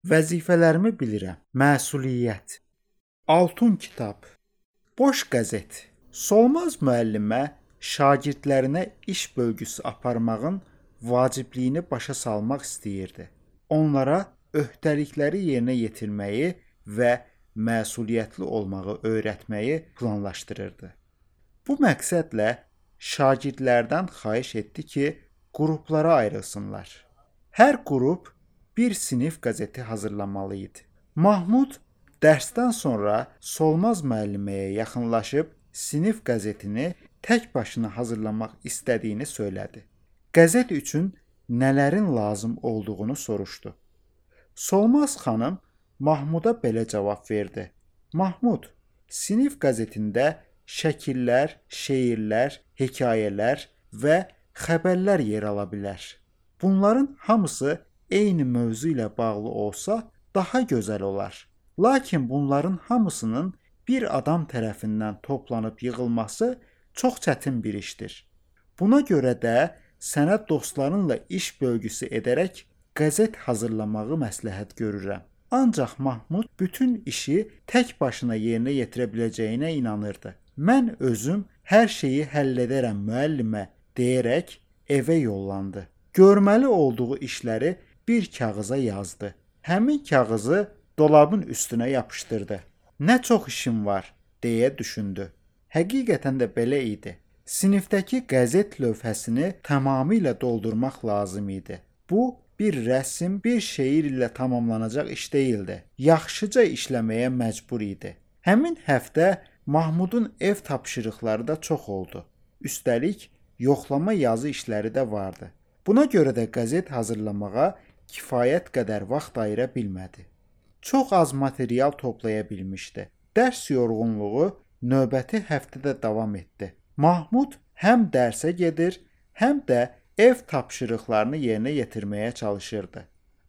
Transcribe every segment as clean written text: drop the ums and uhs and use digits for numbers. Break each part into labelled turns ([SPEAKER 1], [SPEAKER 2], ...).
[SPEAKER 1] Vəzifələrimi bilirəm. Məsuliyyət. Altun kitab. Boş qəzet. Solmaz müəllimə şagirdlərinə iş bölgüsü aparmağın vacibliyini başa salmaq istəyirdi. Onlara öhdəlikləri yerinə yetirməyi və məsuliyyətli olmağı öyrətməyi planlaşdırırdı. Bu məqsədlə şagirdlərdən xahiş etdi ki, qruplara ayrılsınlar. Hər qrup bir sinif qəzeti hazırlamalı idi. Mahmud dərsdən sonra Solmaz müəlliməyə yaxınlaşıb sinif qəzetini tək başına hazırlamaq istədiyini söylədi. Qəzet üçün nələrin lazım olduğunu soruşdu. Solmaz xanım Mahmuda belə cavab verdi. Mahmud, sinif qəzetində şəkillər, şeirlər, hekayələr və xəbərlər yer ala bilər. Bunların hamısı eyni mövzu ilə bağlı olsa daha gözəl olar. Lakin bunların hamısının bir adam tərəfindən toplanıb yığılması çox çətin bir işdir. Buna görə də sənə dostlarınla iş bölgüsü edərək qəzet hazırlamağı məsləhət görürəm. Ancaq Mahmud bütün işi tək başına yerinə yetirə biləcəyinə inanırdı. Mən özüm hər şeyi həll edərəm müəllimə deyərək evə yollandı. Görməli olduğu işləri bir kağıza yazdı. Həmin kağızı dolabın üstünə yapışdırdı. Nə çox işim var deyə düşündü. Həqiqətən də belə idi. Sinifdəki qəzet lövhəsini tamamilə doldurmaq lazım idi. Bu bir rəsm, bir şeir ilə tamamlanacaq iş deyildi. Yaxşıca işləməyə məcbur idi. Həmin həftə Mahmudun ev tapşırıqları da çox oldu. Üstəlik, yoxlama yazı işləri də vardı. Buna görə də qəzet hazırlamağa kifayət qədər vaxt ayıra bilmədi. Çox az material toplaya bilmişdi. Dərs yorğunluğu növbəti həftədə davam etdi. Mahmud həm dərsə gedir, həm də ev tapşırıqlarını yerinə yetirməyə çalışırdı.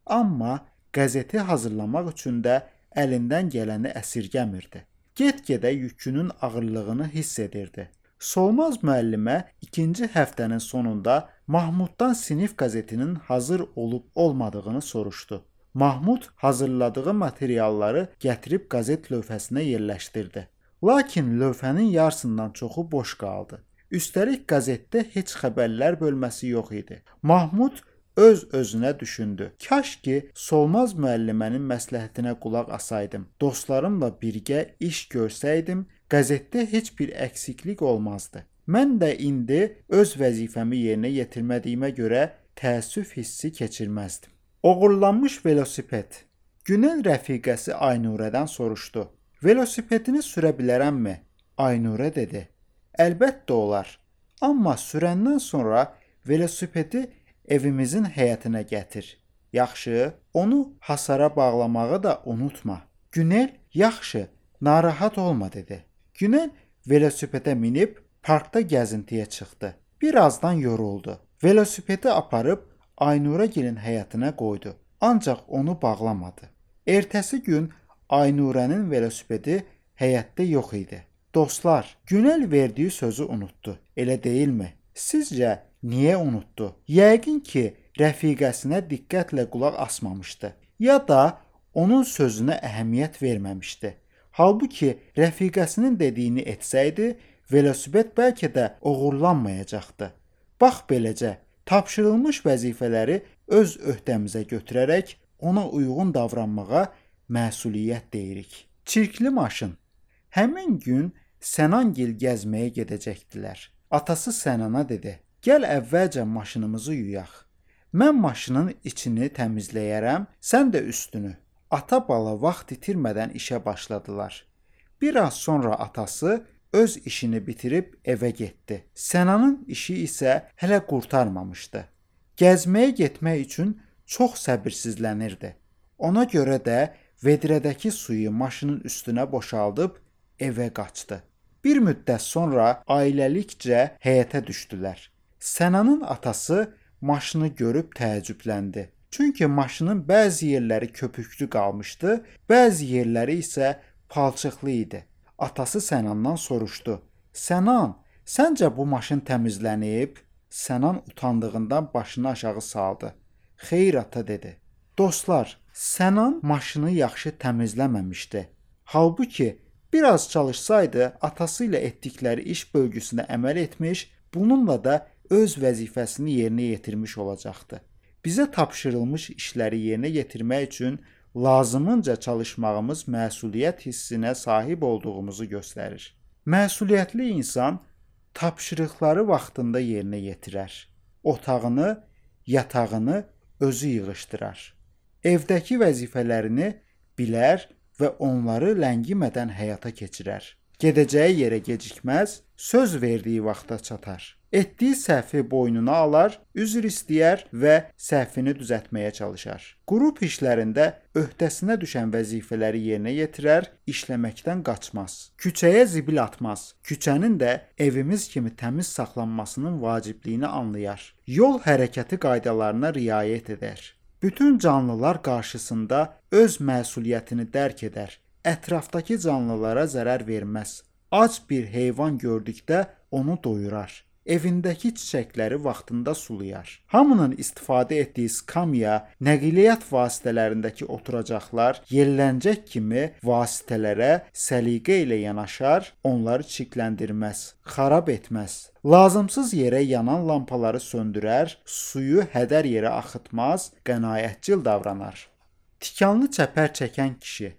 [SPEAKER 1] Amma qəzeti hazırlamaq üçün də əlindən gələni əsirgəmirdi. Get-gedə yükünün ağırlığını hiss edirdi. Solmaz müəllimə ikinci həftənin sonunda Mahmuddan sinif qəzetinin hazır olub-olmadığını soruşdu. Mahmud hazırladığı materialları gətirib qəzet lövhəsinə yerləşdirdi. Lakin lövhənin yarısından çoxu boş qaldı. Üstəlik qəzetdə heç xəbərlər bölməsi yox idi. Mahmud öz-özünə düşündü. Kaş ki, Solmaz müəllimənin məsləhətinə qulaq asaydım. Dostlarımla birgə iş görsəydim, qəzetdə heç bir əksiklik olmazdı. Mən də indi öz vəzifəmi yerinə yetirmədiyimə görə təəssüf hissi keçirməzdim. Oğurlanmış velosiped. Günel rəfiqəsi Aynurədən soruşdu. Velosipedini sürə bilərəmmi? Aynurə dedi. Əlbəttə olar. Amma sürəndən sonra velosipedi evimizin həyətinə gətir. Yaxşı, onu hasara bağlamağı da unutma. Günel, yaxşı, narahat olma dedi. Günel velosipedə minib parkda gəzintiyə çıxdı. Birazdan yoruldu. Velosipedi aparıb Aynurəgilin həyətinə qoydu. Ancaq onu bağlamadı. Ertəsi gün Aynurənin velosipedi həyətdə yox idi. Dostlar, Günel verdiyi sözü unutdu. Elə deyilmi? Sizcə niyə unutdu? Yəqin ki, rəfiqəsinə diqqətlə qulaq asmamışdı. Ya da onun sözünə əhəmiyyət verməmişdi. Halbuki rəfiqəsinin dediyini etsəydi, velosiped bəlkə də oğurlanmayacaqdı. Bax beləcə, tapşırılmış vəzifələri öz öhdəmizə götürərək ona uyğun davranmağa məsuliyyət deyirik. Çirkli maşın. Həmin gün Sənangil gəzməyə gedəcəkdilər. Atası Sənana dedi: "Gəl əvvəlcə maşınımızı yuyaq. Mən maşının içini təmizləyərəm, sən də üstünü." Ata bala vaxt itirmədən işə başladılar. Bir az sonra atası öz işini bitirib evə getdi. Sənanın işi isə hələ qurtarmamışdı. Gəzməyə getmək üçün çox səbirsizlənirdi. Ona görə də vedrədəki suyu maşının üstünə boşaldıb evə qaçdı. Bir müddət sonra ailəlikcə həyətə düşdülər. Sənanın atası maşını görüb təəccübləndi. Çünki maşının bəzi yerləri köpüklü qalmışdı, bəzi yerləri isə palçıqlı idi. Atası Sənandan soruşdu: "Sənan, səncə bu maşın təmizlənib?" Sənan utandığından başını aşağı saldı. "Xeyr ata" dedi. "Dostlar, Sənan maşını yaxşı təmizləməmişdi. Halbuki biraz çalışsaydı, atası ilə etdikləri iş bölgüsünə əməl etmiş, bununla da öz vəzifəsini yerinə yetirmiş olacaqdı. Bizə tapşırılmış işləri yerinə yetirmək üçün lazımınca çalışmağımız məsuliyyət hissinə sahib olduğumuzu göstərir. Məsuliyyətli insan tapşırıqları vaxtında yerinə yetirər. Otağını, yatağını özü yığışdırar. Evdəki vəzifələrini bilər və onları ləngimədən həyata keçirər. Gedəcəyi yerə gecikməz, söz verdiyi vaxta çatar. Etdiyi səhvi boynuna alar, üzr istəyər və səhvini düzəltməyə çalışar. Qrup işlərində öhdəsinə düşən vəzifələri yerinə yetirər, işləməkdən qaçmaz. Küçəyə zibil atmaz. Küçənin də evimiz kimi təmiz saxlanmasının vacibliyini anlayar. Yol hərəkəti qaydalarına riayət edər. Bütün canlılar qarşısında öz məsuliyyətini dərk edər. Ətrafdakı canlılara zərər verməz. Ac bir heyvan gördükdə onu doyurar. Evindəki çiçəkləri vaxtında sulayar. Hamının istifadə etdiyi skamya, nəqliyyat vasitələrindəki oturacaqlar, yelləncək kimi vasitələrə səliqə ilə yanaşar, onları çirkləndirməz, xarab etməz. Lazımsız yerə yanan lampaları söndürər, suyu hədər yerə axıtmaz, qənaətcil davranar. Tikanlı çəpər çəkən kişi.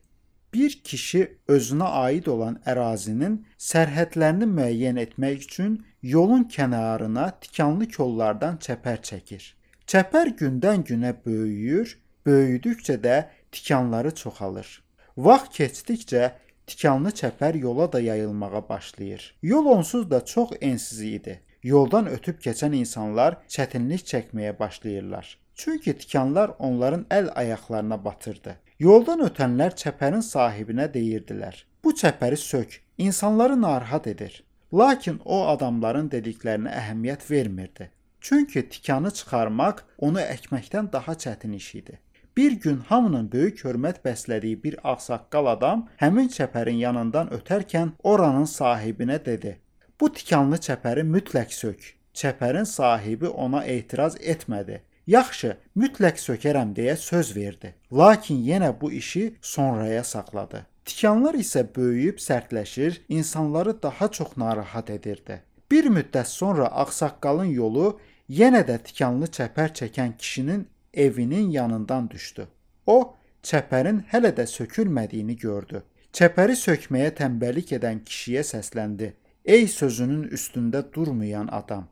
[SPEAKER 1] Bir kişi özünə aid olan ərazinin sərhədlərini müəyyən etmək üçün yolun kənarına tikanlı kollardan çəpər çəkir. Çəpər gündən-günə böyüyür, böyüdükcə də tikanları çoxalır. Vaxt keçdikcə tikanlı çəpər yola da yayılmağa başlayır. Yol onsuz da çox ensiz idi. Yoldan ötüb keçən insanlar çətinlik çəkməyə başlayırlar. Çünki tikanlar onların əl-ayaqlarına batırdı. Yoldan ötənlər çəpərin sahibinə deyirdilər: "Bu çəpəri sök, insanları narahat edir." Lakin o adamların dediklərinə əhəmiyyət vermirdi. Çünki tikanı çıxarmaq onu əkməkdən daha çətin iş idi. Bir gün hamının böyük hörmət bəslədiyi bir ağsaqqal adam həmin çəpərin yanından ötərkən oranın sahibinə dedi: "Bu tikanlı çəpəri mütləq sök." Çəpərin sahibi ona etiraz etmədi. Yaxşı, mütləq sökərəm deyə söz verdi. Lakin yenə bu işi sonraya saxladı. Tikanlar isə böyüyüb sərtləşir, insanları daha çox narahat edirdi. Bir müddət sonra ağsaqqalın yolu yenə də tikanlı çəpər çəkən kişinin evinin yanından düşdü. O, çəpərin hələ də sökülmədiyini gördü. Çəpəri sökməyə tənbəllik edən kişiyə səsləndi: "Ey sözünün üstündə durmayan adam!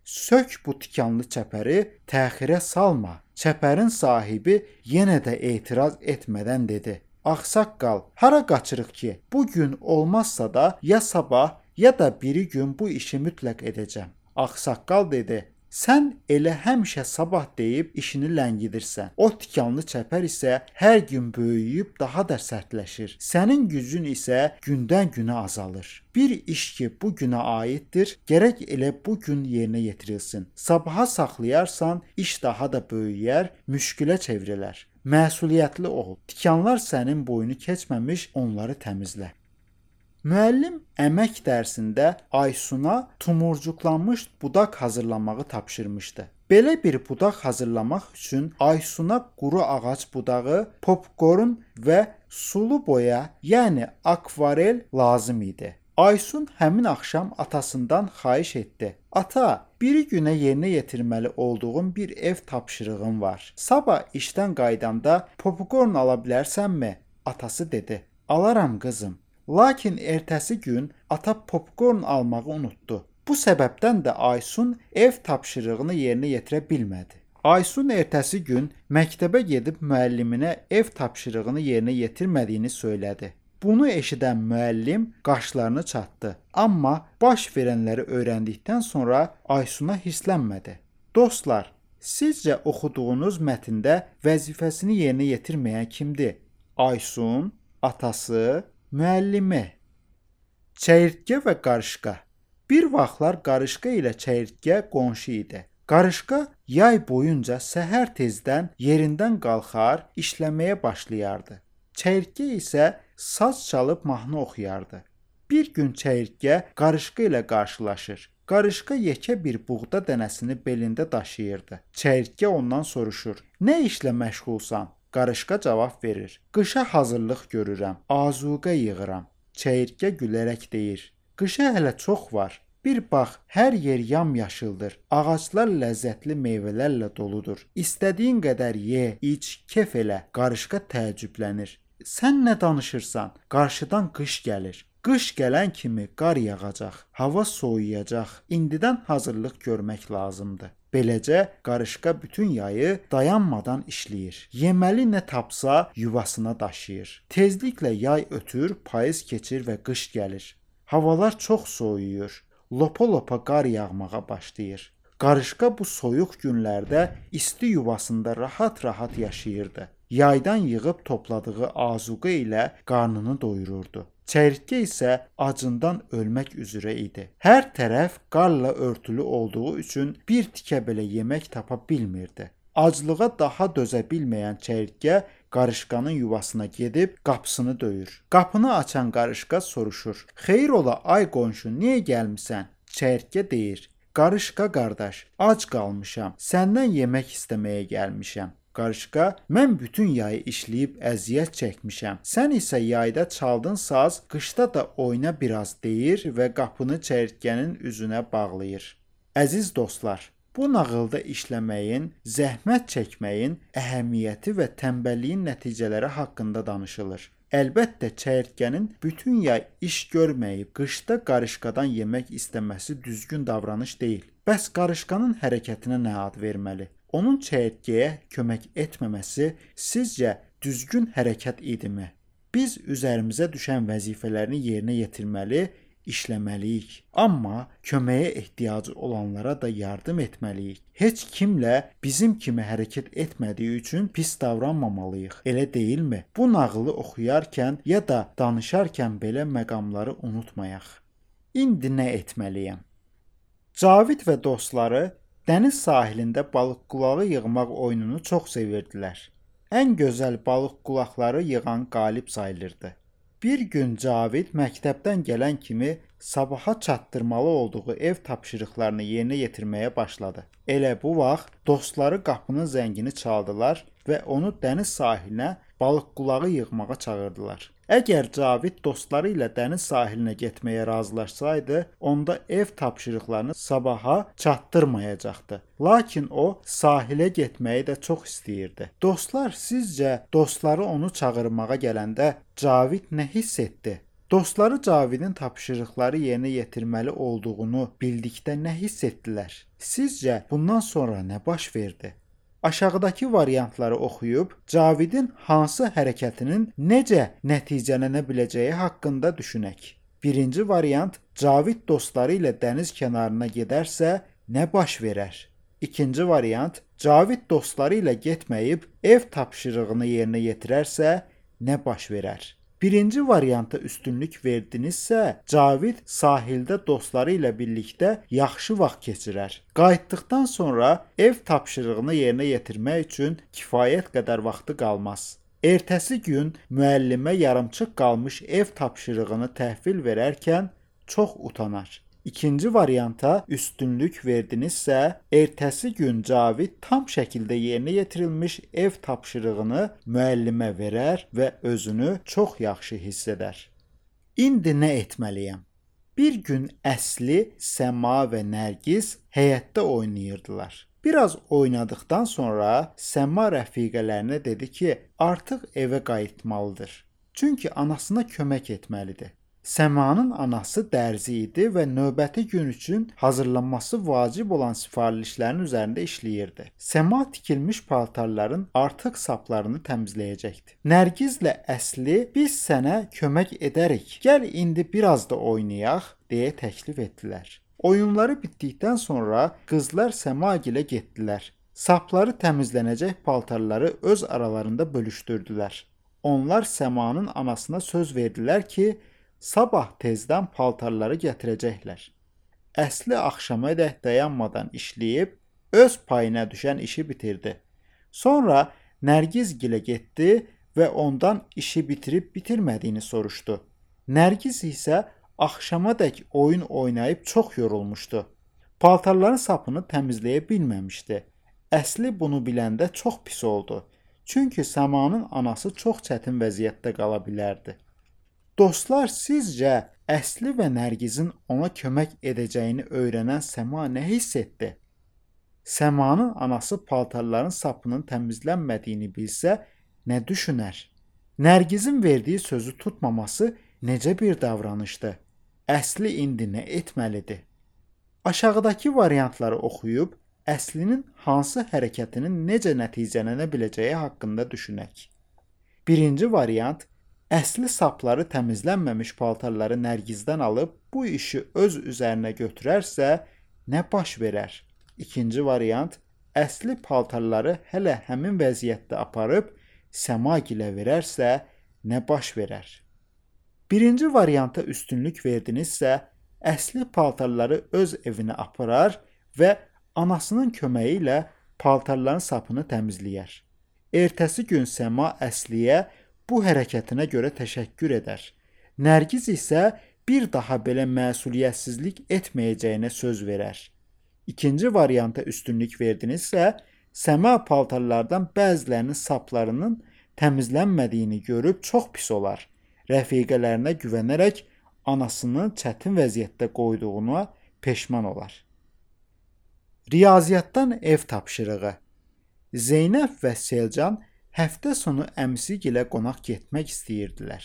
[SPEAKER 1] Sök bu tikanlı çəpəri, təxirə salma." Çəpərin sahibi yenə də etiraz etmədən dedi: "Ağsaqqal, hara qaçırıq ki? Bu gün olmazsa da ya sabah, ya da biri gün bu işi mütləq edəcəm." Ağsaqqal dedi: "Sən elə həmişə sabah deyib işini ləngidirsən. O tikanlı çəpər isə hər gün böyüyüb daha da sərtləşir. Sənin gücün isə gündən-günə azalır. Bir iş ki bu günə aiddir, gərək elə bu gün yerinə yetirilsin. Sabaha saxlayarsan, iş daha da böyüyər, müşkülə çevrilər. Məsuliyyətli ol. Tikanlar sənin boyunu keçməmiş, onları təmizlə." Müəllim əmək dərsində Aysuna tumurcuqlanmış budaq hazırlamağı tapşırmışdı. Belə bir budaq hazırlamaq üçün Aysuna quru ağac budağı, popkorn və sulu boya, yəni akvarel lazım idi. Aysun həmin axşam atasından xahiş etdi: "Ata, biri günə yerinə yetirməli olduğum bir ev tapşırığım var. Sabah işdən qaydanda popkorn ala bilərsənmi?" Atası dedi: "Alaram qızım." Lakin ertəsi gün ata popkorn almağı unutdu. Bu səbəbdən də Aysun ev tapşırığını yerinə yetirə bilmədi. Aysun ertəsi gün məktəbə gedib müəlliminə ev tapşırığını yerinə yetirmədiyini söylədi. Bunu eşidən müəllim qaşlarını çatdı. Amma baş verənləri öyrəndikdən sonra Aysuna hirslənmədi. Dostlar, sizcə oxuduğunuz mətndə vəzifəsini yerinə yetirməyən kimdir? Aysun, atası, müəllimi. Çəyirtkə və qarışqa. Bir vaxtlar qarışqa ilə çəyirtkə qonşu idi. Qarışqa yay boyunca səhər tezdən yerindən qalxar, işləməyə başlayardı. Çəyirtkə isə saz çalıb mahnı oxuyardı. Bir gün çəyirtkə qarışqa ilə qarşılaşır. Qarışqa yekə bir buğda dənəsini belində daşıyırdı. Çəyirtkə ondan soruşur: "Nə işlə məşğulsan?" Qarışqa cavab verir. Qışa hazırlıq görürəm, azuqə yığıram. Çəyirtkə gülərək deyir. Qışa hələ çox var. Bir bax, hər yer yamyaşıldır. Ağaclar ləzzətli meyvələrlə doludur. İstədiyin qədər ye, iç, kef elə. Qarışqa təəccüblənir. Sən nə danışırsan? Qarşıdan qış gəlir. Qış gələn kimi qar yağacaq, hava soyuyacaq. İndidən hazırlıq görmək lazımdır. Beləcə qarışqa bütün yayı dayanmadan işləyir. Yeməli nə tapsa yuvasına daşıyır. Tezliklə yay ötür, payız keçir və qış gəlir. Havalar çox soyuyur. Lopa-lopa qar yağmağa başlayır. Qarışqa bu soyuq günlərdə isti yuvasında rahat-rahat yaşayırdı. Yaydan yığıb topladığı azuqə ilə qarnını doyururdu. Çəyirtkə isə acından ölmək üzrə idi. Hər tərəf qarla örtülü olduğu üçün bir tikə belə yemək tapa bilmirdi. Aclığa daha dözə bilməyən çəyirtkə qarışqanın yuvasına gedib qapısını döyür. Qapını açan qarışqa soruşur: "Xeyir ola ay qonşu, niyə gəlmisən?" Çəyirtkə deyir: "Qarışqa qardaş, ac qalmışam. Səndən yemək istəməyə gəlmişəm." Qarışqa: "Mən bütün yayı işləyib əziyyət çəkmişəm. Sən isə yayda çaldın saz, qışda da oyna biraz" deyir və qapını çəyirtkənin üzünə bağlayır. Əziz dostlar, bu nağılda işləməyin, zəhmət çəkməyin əhəmiyyəti və tənbəlliyin nəticələri haqqında danışılır. Əlbəttə çəyirtkənin bütün yay iş görməyib qışda qarışqadan yemək istəməsi düzgün davranış deyil. Bəs qarışqanın hərəkətinə nə ad verməli? Onun çəyirtkəyə kömək etməməsi sizcə düzgün hərəkət idimi? Biz üzərimizə düşən vəzifələrini yerinə yetirməli, işləməliyik. Amma köməyə ehtiyacı olanlara da yardım etməliyik. Heç kimlə bizim kimi hərəkət etmədiyi üçün pis davranmamalıyıq. Elə deyilmi? Bu nağılı oxuyarkən ya da danışarkən belə məqamları unutmayaq. İndi nə etməliyəm? Cavid və dostları dəniz sahilində balıq qulağı yığmaq oyununu çox sevirdilər. Ən gözəl balıq qulaqları yığan qalib sayılırdı. Bir gün Cavid məktəbdən gələn kimi sabaha çatdırmalı olduğu ev tapşırıqlarını yerinə yetirməyə başladı. Elə bu vaxt dostları qapının zəngini çaldılar və onu dəniz sahilinə balıq qulağı yığmağa çağırdılar. Əgər Cavid dostları ilə dəniz sahilinə getməyə razılaşsaydı, onda ev tapşırıqlarını sabaha çatdırmayacaqdı. Lakin o sahilə getməyi də çox istəyirdi. Dostlar, sizcə dostları onu çağırmağa gələndə Cavid nə hiss etdi? Dostları Cavidin tapşırıqları yerinə yetirməli olduğunu bildikdə nə hiss etdilər? Sizcə bundan sonra nə baş verdi? Aşağıdakı variantları oxuyub Cavidin hansı hərəkətinin necə nəticələnə biləcəyi haqqında düşünək. Birinci variant: Cavid dostları ilə dəniz kənarına gedərsə nə baş verər? İkinci variant: Cavid dostları ilə getməyib ev tapşırığını yerinə yetirərsə nə baş verər? Birinci varianta üstünlük verdinizsə, Cavid sahildə dostları ilə birlikdə yaxşı vaxt keçirər. Qayıtdıqdan sonra ev tapşırığını yerinə yetirmək üçün kifayət qədər vaxtı qalmaz. Ertəsi gün müəllimə yarımçıq qalmış ev tapşırığını təhvil verərkən çox utanar. İkinci varianta üstünlük verdinizsə, ertəsi gün Cavid tam şəkildə yerinə yetirilmiş ev tapşırığını müəllimə verər və özünü çox yaxşı hiss edər. İndi nə etməliyəm? Bir gün Əsli, Səma və Nərgiz həyətdə oynayırdılar. Biraz oynadıqdan sonra Səma rəfiqələrinə dedi ki, artıq evə qayıtmalıdır. Çünki anasına kömək etməlidir. Səmanın anası dərzi idi və növbəti gün üçün hazırlanması vacib olan sifarişlərin üzərində işləyirdi. Səma tikilmiş paltarların artıq saplarını təmizləyəcəkdi. Nərgizlə Əsli, biz sənə kömək edərik. Gəl indi biraz da oynayaq, deyə təklif etdilər. Oyunları bitdikdən sonra qızlar Səmagilə getdilər. Sapları təmizlənəcək paltarları öz aralarında bölüşdürdülər. Onlar Səmanın anasına söz verdilər ki, sabah tezdən paltarları gətirəcəklər. Əsli axşamadək dayanmadan işləyib, öz payına düşən işi bitirdi. Sonra Nərgizgilə getdi və ondan işi bitirib bitirmədiyini soruşdu. Nərgiz isə axşamadək oyun oynayıb çox yorulmuşdu. Paltarların sapını təmizləyə bilməmişdi. Əsli bunu biləndə çox pis oldu. Çünki Səmanın anası çox çətin vəziyyətdə qala bilərdi. Dostlar, sizcə Əsli və Nərgizin ona kömək edəcəyini öyrənən Səma nə hiss etdi? Səmanın anası paltarların sapının təmizlənmədiyini bilsə, nə düşünər? Nərgizin verdiyi sözü tutmaması necə bir davranışdır? Əsli indi nə etməlidir? Aşağıdakı variantları oxuyub Əslinin hansı hərəkətinin necə nəticələnə biləcəyi haqqında düşünək. Birinci variant, Əsli sapları təmizlənməmiş paltarları Nərgizdən alıb bu işi öz üzərinə götürərsə, nə baş verər? İkinci variant, Əsli paltarları hələ həmin vəziyyətdə aparıb Səmagilə verərsə, nə baş verər? Birinci varianta üstünlük verdinizsə, Əsli paltarları öz evinə aparar və anasının köməyi ilə paltarların sapını təmizləyər. Ertəsi gün Səma Əsliyə bu hərəkətinə görə təşəkkür edər. Nərgiz isə bir daha belə məsuliyyətsizlik etməyəcəyinə söz verər. İkinci varianta üstünlük verdinizsə, Səma paltarlardan bəzilərinin saplarının təmizlənmədiyini görüb çox pis olar. Rəfiqələrinə güvənərək anasını çətin vəziyyətdə qoyduğuna peşman olar. Riyaziyyatdan ev tapşırığı. Zeynəb və Selcan həftə sonu əmsigilə qonaq getmək istəyirdilər.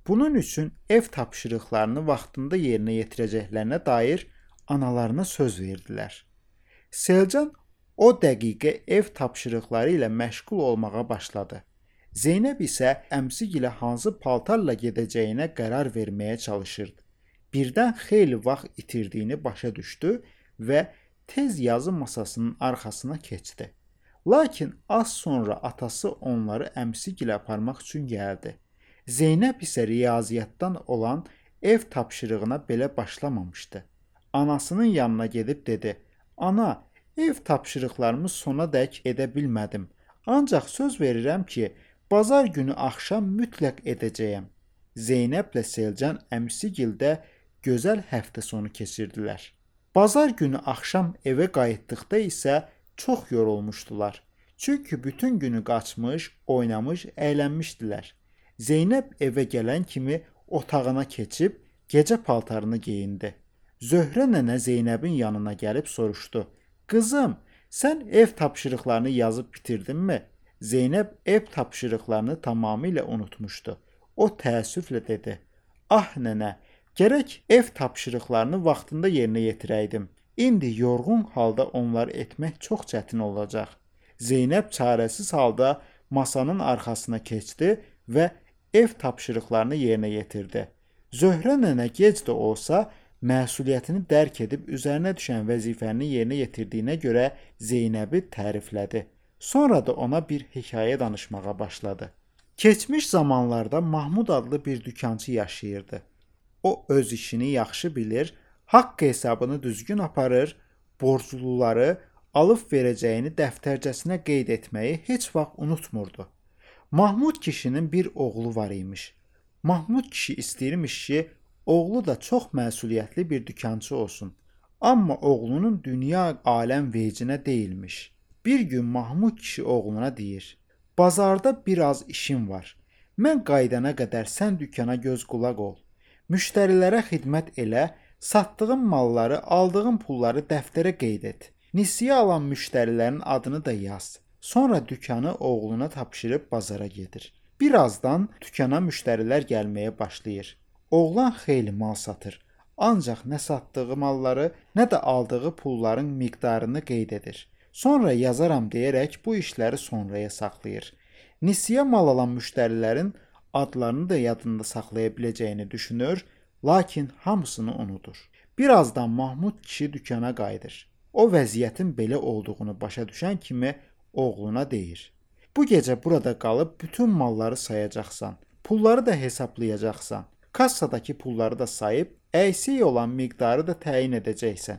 [SPEAKER 1] Bunun üçün ev tapşırıqlarını vaxtında yerinə yetirəcəklərinə dair analarına söz verdilər. Selcan o dəqiqə ev tapşırıqları ilə məşğul olmağa başladı. Zeynəb isə əmsigilə hansı paltarla gedəcəyinə qərar verməyə çalışırdı. Birdən xeyli vaxt itirdiyini başa düşdü və tez yazı masasının arxasına keçdi. Lakin az sonra atası onları əmsigilə aparmaq üçün gəldi. Zeynəb isə riyaziyyatdan olan ev tapşırığına belə başlamamışdı. Anasının yanına gedib dedi: "Ana, ev tapşırıqlarımı sonadək edə bilmədim. Ancaq söz verirəm ki, bazar günü axşam mütləq edəcəyəm." Zeynəblə Selcan əmsigildə gözəl həftə sonu keçirdilər. Bazar günü axşam evə qayıtdıqda isə çox yorulmuşdular. Çünki bütün günü qaçmış, oynamış, əylənmişdilər. Zeynəb evə gələn kimi otağına keçib gecə paltarını geyindi. Zöhrə nənə Zeynəbin yanına gəlib soruşdu: "Qızım, sən ev tapşırıqlarını yazıb bitirdinmi?" Zeynəb ev tapşırıqlarını tamamilə unutmuşdu. O təəssüflə dedi: "Ah nənə, gərək ev tapşırıqlarını vaxtında yerinə yetirəydim. İndi yorğun halda onları etmək çox çətin olacaq." Zeynəb çarəsiz halda masanın arxasına keçdi və ev tapşırıqlarını yerinə yetirdi. Zöhrə nənə gec də olsa məsuliyyətini dərk edib üzərinə düşən vəzifəni yerinə yetirdiyinə görə Zeynəbi təriflədi. Sonra da ona bir hekayə danışmağa başladı. Keçmiş zamanlarda Mahmud adlı bir dükançı yaşayırdı. O öz işini yaxşı bilir, haqq hesabını düzgün aparır, borcluları alıb verəcəyini dəftərcəsinə qeyd etməyi heç vaxt unutmurdu. Mahmud kişinin bir oğlu var imiş. Mahmud kişi istəyirmiş ki, oğlu da çox məsuliyyətli bir dükançı olsun. Amma oğlunun dünya aləm vecinə deyilmiş. Bir gün Mahmud kişi oğluna deyir: "Bazarda biraz işim var. Mən qaydana qədər sən dükana göz qulaq ol. Müştərilərə xidmət elə, satdığın malları, aldığın pulları dəftərə qeyd et. Nisiyə alan müştərilərin adını da yaz." Sonra dükanı oğluna tapşırıb bazara gedir. Birazdan dükana müştərilər gəlməyə başlayır. Oğlan xeyli mal satır. Ancaq nə satdığı malları, nə də aldığı pulların miqdarını qeyd edir. Sonra yazaram deyərək bu işləri sonraya saxlayır. Nisiyə mal alan müştərilərin adlarını da yadında saxlaya biləcəyini düşünür, lakin hamısını unudur. Birazdan Mahmud kişi dükana qayıdır. O vəziyyətin belə olduğunu başa düşən kimi oğluna deyir: "Bu gecə burada qalıb bütün malları sayacaqsan, pulları da hesablayacaqsan. Kassadakı pulları da sayıb, əksik olan miqdarı da təyin edəcəksən."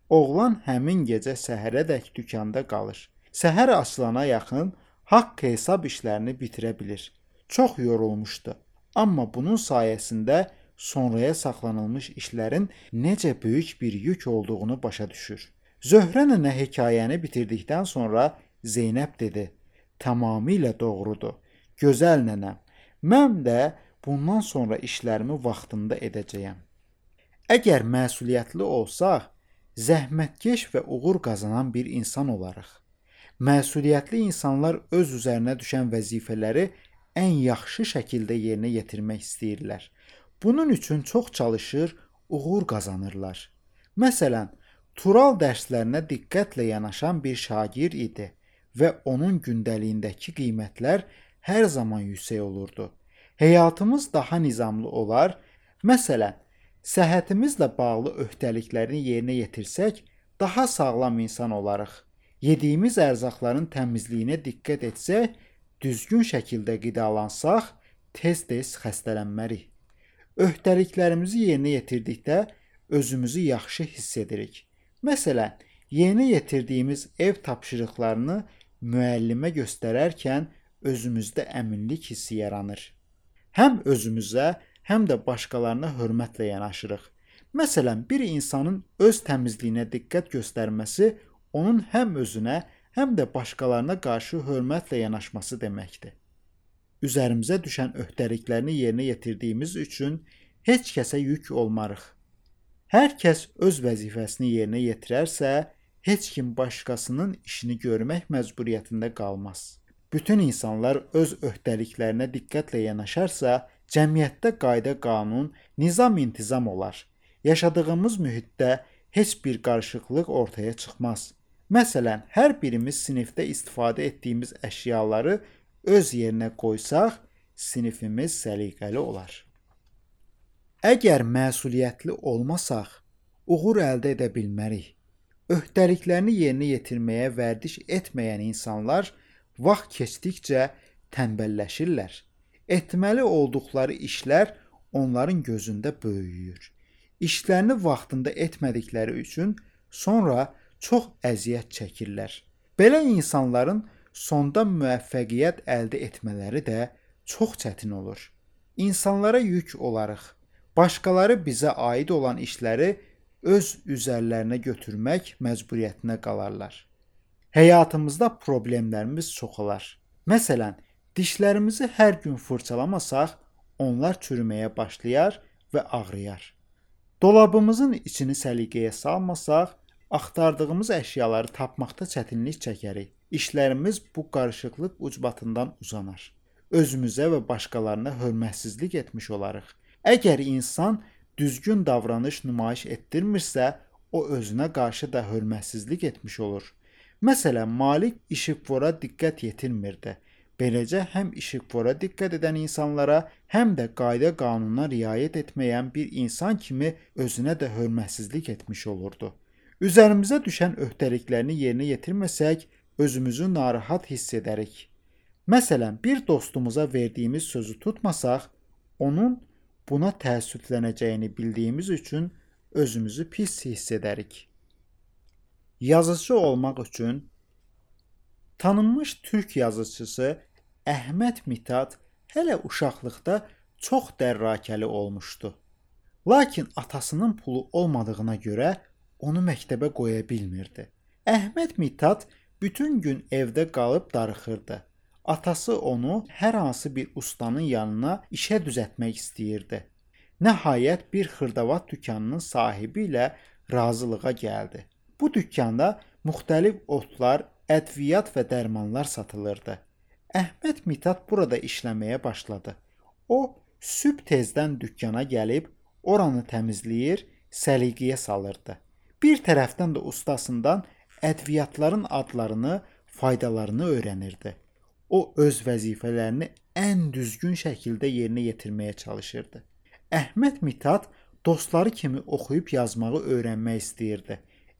[SPEAKER 1] Oğlan həmin gecə səhərədək dükanda qalır. Səhər açılana yaxın haqq hesab işlərini bitirə bilir. Çox yorulmuşdu. Amma bunun sayəsində sonraya saxlanılmış işlərin necə böyük bir yük olduğunu başa düşür. Zöhrə nənə hekayəni bitirdikdən sonra Zeynəb dedi: Tamamilə doğrudur. Gözəl nənəm. Mən də bundan sonra işlərimi vaxtında edəcəyəm. Əgər məsuliyyətli olsaq, zəhmətkeş və uğur qazanan bir insan olarıq. Məsuliyyətli insanlar öz üzərinə düşən vəzifələri ən yaxşı şəkildə yerinə yetirmək istəyirlər. Bunun üçün çox çalışır, uğur qazanırlar. Məsələn, Tural dərslərinə diqqətlə yanaşan bir şagird idi və onun gündəliyindəki qiymətlər hər zaman yüksək olurdu. Həyatımız daha nizamlı olar. Məsələn, səhhətimizlə bağlı öhdəliklərini yerinə yetirsək, daha sağlam insan olarıq. Yediyimiz ərzaqların təmizliyinə diqqət etsək, düzgün şəkildə qidalansaq, tez-tez xəstələnmərik. Öhdəliklərimizi yerinə yetirdikdə özümüzü yaxşı hiss edirik. Məsələn, yerinə yetirdiyimiz ev tapşırıqlarını müəllimə göstərərkən özümüzdə əminlik hissi yaranır. Həm özümüzə, həm də başqalarına hörmətlə yanaşırıq. Məsələn, bir insanın öz təmizliyinə diqqət göstərməsi onun həm özünə, həm də başqalarına qarşı hörmətlə yanaşması deməkdir. Üzərimizə düşən öhdəliklərini yerinə yetirdiyimiz üçün heç kəsə yük olmarıq. Hər kəs öz vəzifəsini yerinə yetirərsə, heç kim başqasının işini görmək məcburiyyətində qalmaz. Bütün insanlar öz öhdəliklərinə diqqətlə yanaşarsa, cəmiyyətdə qayda-qanun, nizam-intizam olar. Yaşadığımız mühitdə heç bir qarışıqlıq ortaya çıxmaz. Məsələn, hər birimiz sinifdə istifadə etdiyimiz əşyaları öz yerinə qoysaq, sinifimiz səliqəli olar. Əgər məsuliyyətli olmasaq, uğur əldə edə bilmərik. Öhdəliklərini yerinə yetirməyə vərdiş etməyən insanlar vaxt keçdikcə tənbəlləşirlər. Etməli olduqları işlər onların gözündə böyüyür. İşlərini vaxtında etmədikləri üçün sonra çox əziyyət çəkirlər. Belə insanların sonda müvəffəqiyyət əldə etmələri də çox çətin olur. İnsanlara yük olarıq. Başqaları bizə aid olan işləri öz üzərlərinə götürmək məcburiyyətinə qalarlar. Həyatımızda problemlərimiz çoxalar. Məsələn, dişlərimizi hər gün fırçalamasaq, onlar çürüməyə başlayar və ağrıyar. Dolabımızın içini səliqəyə salmasaq, axtardığımız əşyaları tapmaqda çətinlik çəkərik. İşlərimiz bu qarışıqlıq ucbatından uzanar. Özümüzə və başqalarına hörmətsizlik etmiş olarıq. Əgər insan düzgün davranış nümayiş etdirmirsə, o özünə qarşı da hörmətsizlik etmiş olur. Məsələn, malik işıqfora diqqət yetirmirdi. Beləcə həm işıqfora diqqət edən insanlara, həm də qayda-qanuna riayət etməyən bir insan kimi özünə də hörmətsizlik etmiş olurdu. Üzərimizə düşən öhdəliklərini yerinə yetirməsək, özümüzü narahat hiss edərik. Məsələn, bir dostumuza verdiyimiz sözü tutmasaq, onun buna təəssüflənəcəyini bildiyimiz üçün özümüzü pis hiss edərik. Yazıcı olmaq üçün tanınmış türk yazıçısı Əhməd Mithat hələ uşaqlıqda çox dərrakəli olmuşdu. Lakin atasının pulu olmadığına görə onu məktəbə qoya bilmirdi. Əhməd Mithat bütün gün evdə qalıb darıxırdı. Atası onu hər hansı bir ustanın yanına işə düzəltmək istəyirdi. Nəhayət bir xırdavat dükanının sahibi ilə razılığa gəldi. Bu dükkanda müxtəlif otlar, ədviyyat və dərmanlar satılırdı. Əhməd Mithat burada işləməyə başladı. O, sübh tezdən dükkana gəlib, oranı təmizləyir, səliqəyə salırdı. Bir tərəfdən də ustasından ədviyyatların adlarını, faydalarını öyrənirdi. O öz vəzifələrini ən düzgün şəkildə yerinə yetirməyə çalışırdı. Əhməd Mithat dostları kimi oxuyub yazmağı öyrənmək istəyirdi.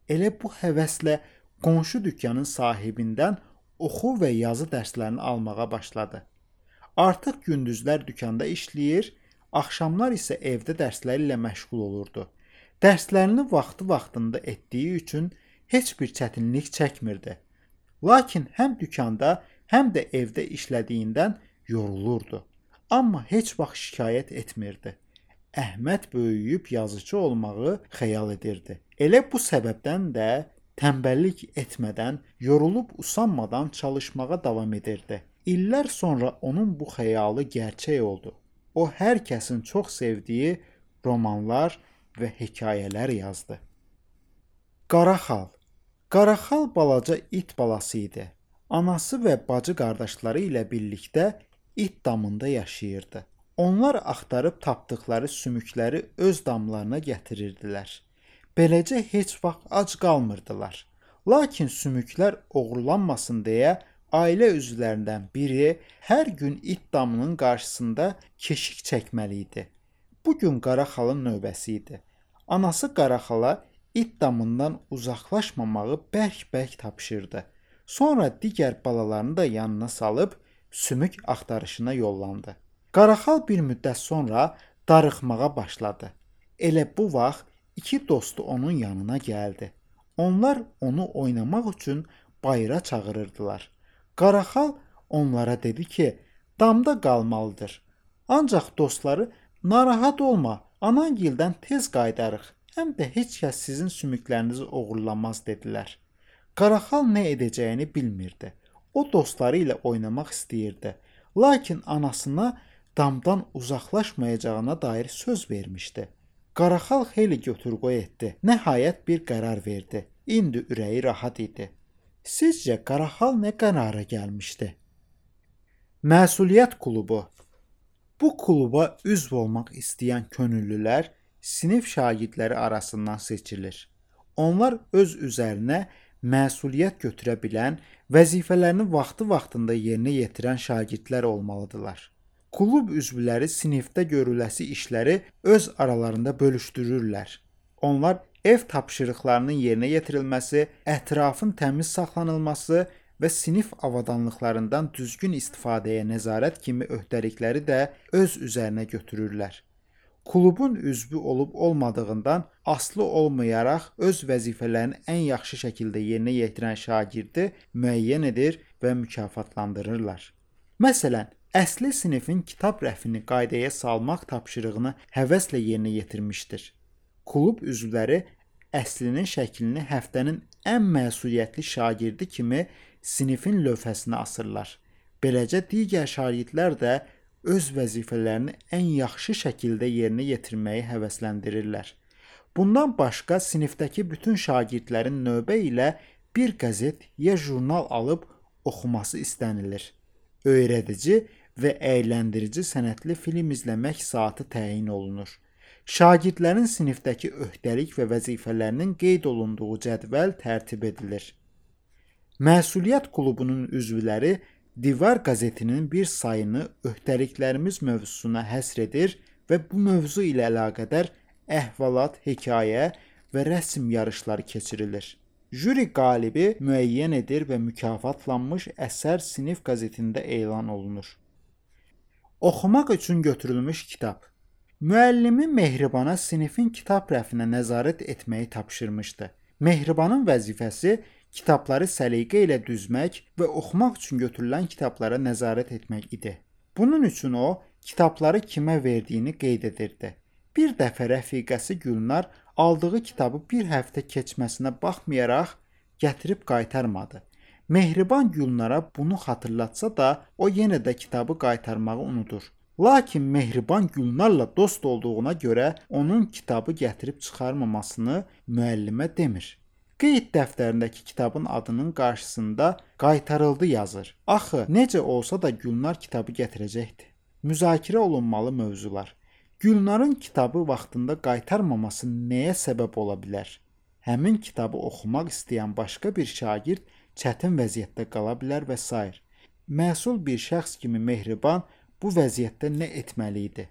[SPEAKER 1] Elə bu həvəslə qonşu dükkanın sahibindən oxu və yazı dərslərini almağa başladı. Artıq gündüzlər dükkanda işləyir, axşamlar isə evdə dərsləri ilə məşğul olurdu. Dərslərini vaxtında etdiyi üçün heç bir çətinlik çəkmirdi. Lakin həm dükkanda, həm də evdə işlədiyindən yorulurdu. Amma heç vaxt şikayət etmirdi. Əhməd böyüyüb yazıcı olmağı xəyal edirdi. Elə bu səbəbdən də Tənbəllik etmədən, yorulub usanmadan çalışmağa davam edirdi. İllər sonra onun bu xəyalı gerçək oldu. O hər kəsin çox sevdiyi romanlar və hekayələr yazdı. Qaraxal. Qaraxal balaca it balası idi. Anası və bacı qardaşları ilə birlikdə it damında yaşayırdı. Onlar axtarıb tapdıqları sümükləri öz damlarına gətirirdilər. Beləcə heç vaxt ac qalmırdılar. Lakin sümüklər oğurlanmasın deyə ailə üzvlərindən biri hər gün it damının qarşısında keşik çəkməli idi. Bu gün Qaraxalın növbəsi idi. Anası Qaraxala it damından uzaqlaşmamağı bərk-bərk tapşırdı. Sonra digər balalarını da yanına salıb sümük axtarışına yollandı. Qaraxal bir müddət sonra darıxmağa başladı. Elə bu vaxt iki dostu onun yanına gəldi. Onlar onu oynamaq üçün bayıra çağırırdılar. Qaraxal onlara dedi ki, damda qalmalıdır. Ancaq dostları, narahat olma, anangildən tez qayıdarıq. Həm də heç kəs sizin sümüklərinizi oğurlamaz dedilər. Qaraxal nə edəcəyini bilmirdi. O dostları ilə oynamaq istəyirdi. Lakin anasına damdan uzaqlaşmayacağına dair söz vermişdi. Qaraxal xeyli götür-qoy etdi. Nəhayət bir qərar verdi. İndi ürəyi rahat idi. Sizcə Qaraxal nə qərara gəlmişdi? Məsuliyyət klubu. Bu kluba üzv olmaq istəyən könüllülər sinif şagirdləri arasından seçilir. Onlar öz üzərinə məsuliyyət götürə bilən, vəzifələrini vaxtı-vaxtında yerinə yetirən şagirdlər olmalıdırlar. Klub üzvləri sinifdə görüləsi işləri öz aralarında bölüşdürürlər. Onlar ev tapşırıqlarının yerinə yetirilməsi, ətrafın təmiz saxlanılması və sinif avadanlıqlarından düzgün istifadəyə nəzarət kimi öhdəlikləri də öz üzərinə götürürlər. Klubun üzvü olub olmadığından asılı olmayaraq öz vəzifələrini ən yaxşı şəkildə yerinə yetirən şagirdi müəyyən edir və mükafatlandırırlar. Məsələn, əsli sinifin kitab rəfini qaydaya salmaq tapşırığını həvəslə yerinə yetirmişdir. Klub üzvləri əslinin şəklini həftənin ən məsuliyyətli şagirdi kimi sinifin lövhəsinə asırlar. Beləcə digər şagirdlər də öz vəzifələrini ən yaxşı şəkildə yerinə yetirməyi həvəsləndirirlər. Bundan başqa sinifdəki bütün şagirdlərin növbə ilə bir qəzet ya jurnal alıb oxuması istənilir. Öyrədici və əyləndirici sənətli film izləmək saatı təyin olunur. Şagirdlərin sinifdəki öhdəlik və vəzifələrinin qeyd olunduğu cədvəl tərtib edilir. Məsuliyyət klubunun üzvləri Divar qəzetinin bir sayını öhdəliklərimiz mövzusuna həsr edir və bu mövzu ilə əlaqədar əhvalat, hekayə və rəsm yarışları keçirilir. Jüri qalibi müəyyən edir və mükafatlanmış əsər sinif qəzetində elan olunur. Oxumaq üçün götürülmüş kitab. Müəllimi Mehribana sinifin kitab rəfinə nəzarət etməyi tapşırmışdı. Mehribanın vəzifəsi kitabları səliqə ilə düzmək və oxumaq üçün götürülən kitablara nəzarət etmək idi. Bunun üçün o, kitabları kimə verdiyini qeyd edirdi. Bir dəfə rəfiqəsi Gülnar aldığı kitabı bir həftə keçməsinə baxmayaraq gətirib qaytarmadı. Mehriban Gülnara bunu xatırlatsa da, o yenə də kitabı qaytarmağı unudur. Lakin Mehriban Gülnarla dost olduğuna görə onun kitabı gətirib çıxarmamasını müəllimə demir. Qeyd dəftərindəki kitabın adının qarşısında qaytarıldı yazır. Axı, necə olsa da Gülnar kitabı gətirəcəkdi. Müzakirə olunmalı mövzular. Gülnarın kitabı vaxtında qaytarmaması nəyə səbəb ola bilər? Həmin kitabı oxumaq istəyən başqa bir şagird çətin vəziyyətdə qala bilər və s. Məsul bir şəxs kimi Mehriban bu vəziyyətdə nə etməli idi?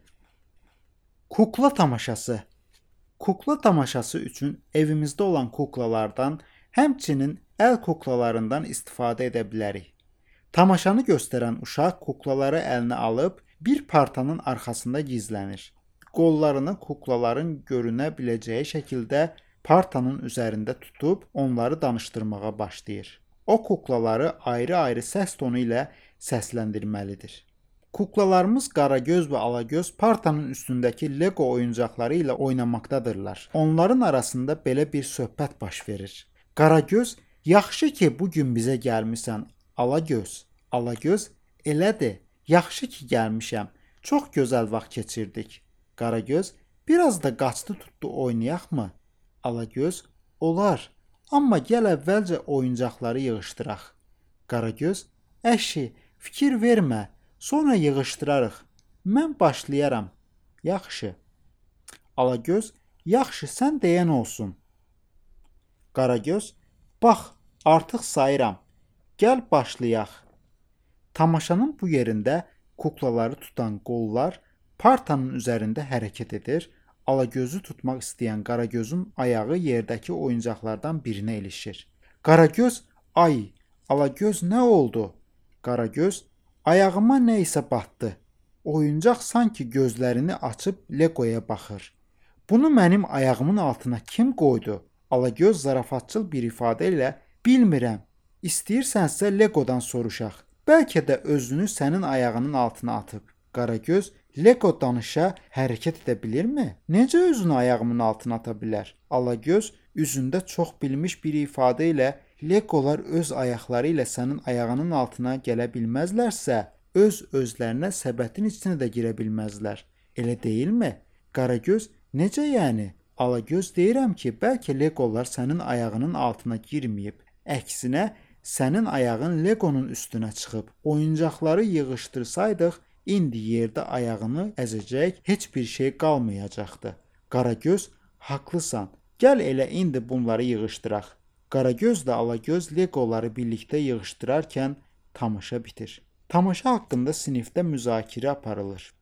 [SPEAKER 1] Kukla tamaşası. Kukla tamaşası üçün evimizdə olan kuklalardan, həmçinin əl kuklalarından istifadə edə bilərik. Tamaşanı göstərən uşaq kuklaları əlinə alıb bir partanın arxasında gizlənir. Qollarını kuklaların görünə biləcəyi şəkildə partanın üzərində tutub onları danışdırmağa başlayır. O kuklaları ayrı-ayrı səs tonu ilə səsləndirməlidir. Kuklalarımız Qaragöz və Alagöz partanın üstündəki Lego oyuncaqları ilə oynamaqdadırlar. Onların arasında belə bir söhbət baş verir. Qaragöz, yaxşı ki bu gün bizə gəlmisən. Alagöz, Alagöz, elədir. Yaxşı ki gəlmişəm. Çox gözəl vaxt keçirdik. Qaragöz, biraz da qaçdı tutdu oynayaqmı? Alagöz, olar. Amma gəl əvvəlcə oyuncaqları yığışdıraq. Qaragöz, əşi, fikir vermə. Sonra yığışdırarıq. Mən başlayaram. Yaxşı. Alagöz, yaxşı, sən deyən olsun. Qaragöz, bax, artıq sayıram. Gəl başlayaq. Tamaşanın bu yerində kuklaları tutan qollar partanın üzərində hərəkət edir. Alagözü tutmaq istəyən Qaragözün ayağı yerdəki oyuncaqlardan birinə ilişir. Qaragöz, ay, Alagöz nə oldu? Qaragöz, ayağıma nə isə batdı. Oyuncaq sanki gözlərini açıb Legoya baxır. Bunu mənim ayağımın altına kim qoydu? Alagöz zarafatçıl bir ifadə ilə bilmirəm. İstəyirsənsə Legodan soruşaq. Bəlkə də özünü sənin ayağının altına atıb. Qaragöz, Lego danışa, hərəkət edə bilirmi? Necə özünü ayağımın altına ata bilər? Alagöz üzündə çox bilmiş bir ifadə ilə Legolar öz ayaqları ilə sənin ayağının altına gələ bilməzlərsə, öz özlərinə səbətin içinə də girə bilməzlər. Elə deyilmi? Qaragöz, necə yəni? Alagöz, deyirəm ki, bəlkə Legolar sənin ayağının altına girməyib. Əksinə, sənin ayağın Legonun üstünə çıxıb. Oyuncaqları yığışdırsaydıq, indi yerdə ayağını əzəcək heç bir şey qalmayacaqdı. Qaragöz, haqlısan. Gəl elə indi bunları yığışdıraq. Qaragözlə Alagöz Legoları birlikdə yığışdırarkən tamaşa bitir. Tamaşa haqqında sinifdə müzakirə aparılır.